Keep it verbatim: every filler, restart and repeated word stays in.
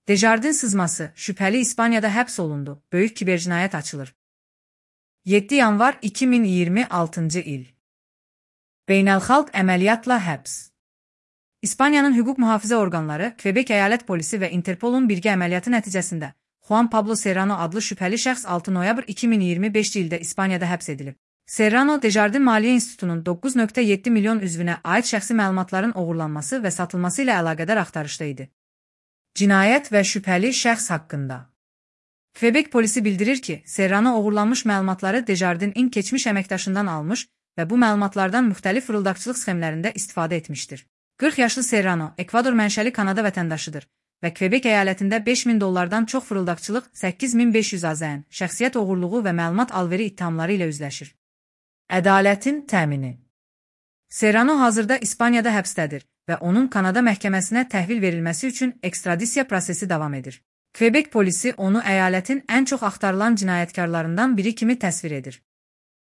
Desjardins sızması, şüpheli İspanya'da həbs olundu, böyük kibercinayət açılır. yeddi yanvar iki min iyirmi altıncı il. Beynəlxalq əməliyyatla həbs. İspaniyanın hüquq mühafizə orqanları, Quebec əyalət polisi və Interpolun birgə əməliyyatı nəticəsində Juan Pablo Serrano adlı şübhəli şəxs altı noyabr iki min iyirmi beşinci ildə İspaniyada həbs edilib. Serrano, Desjardins Maliyyə İnstitutunun doqquz nöqtə yeddi milyon üzvünə aid şəxsi məlumatların oğurlanması və satılması ilə əlaqədar axtarışda idi. Cinayət və şübhəli şəxs haqqında. Quebec polisi bildirir ki, Serrano oğurlanmış məlumatları Desjardins-in keçmiş əməkdaşından almış və bu məlumatlardan müxtəlif fırıldaqçılıq sxemlərində istifadə etmişdir. qırx yaşlı Serrano, Ekvador mənşəli Kanada vətəndaşıdır və Quebec əyalətində beş min dollardan çox fırıldaqçılıq, səkkiz min beş yüz AZN, şəxsiyyət oğurluğu və məlumat alveri ittihamları ilə üzləşir. Ədalətin təmini. Serrano hazırda İspaniyada həbsdədir və onun Kanada məhkəməsinə təhvil verilməsi üçün ekstradisiya prosesi davam edir. Quebec polisi onu əyalətin ən çox axtarılan cinayətkarlarından biri kimi təsvir edir.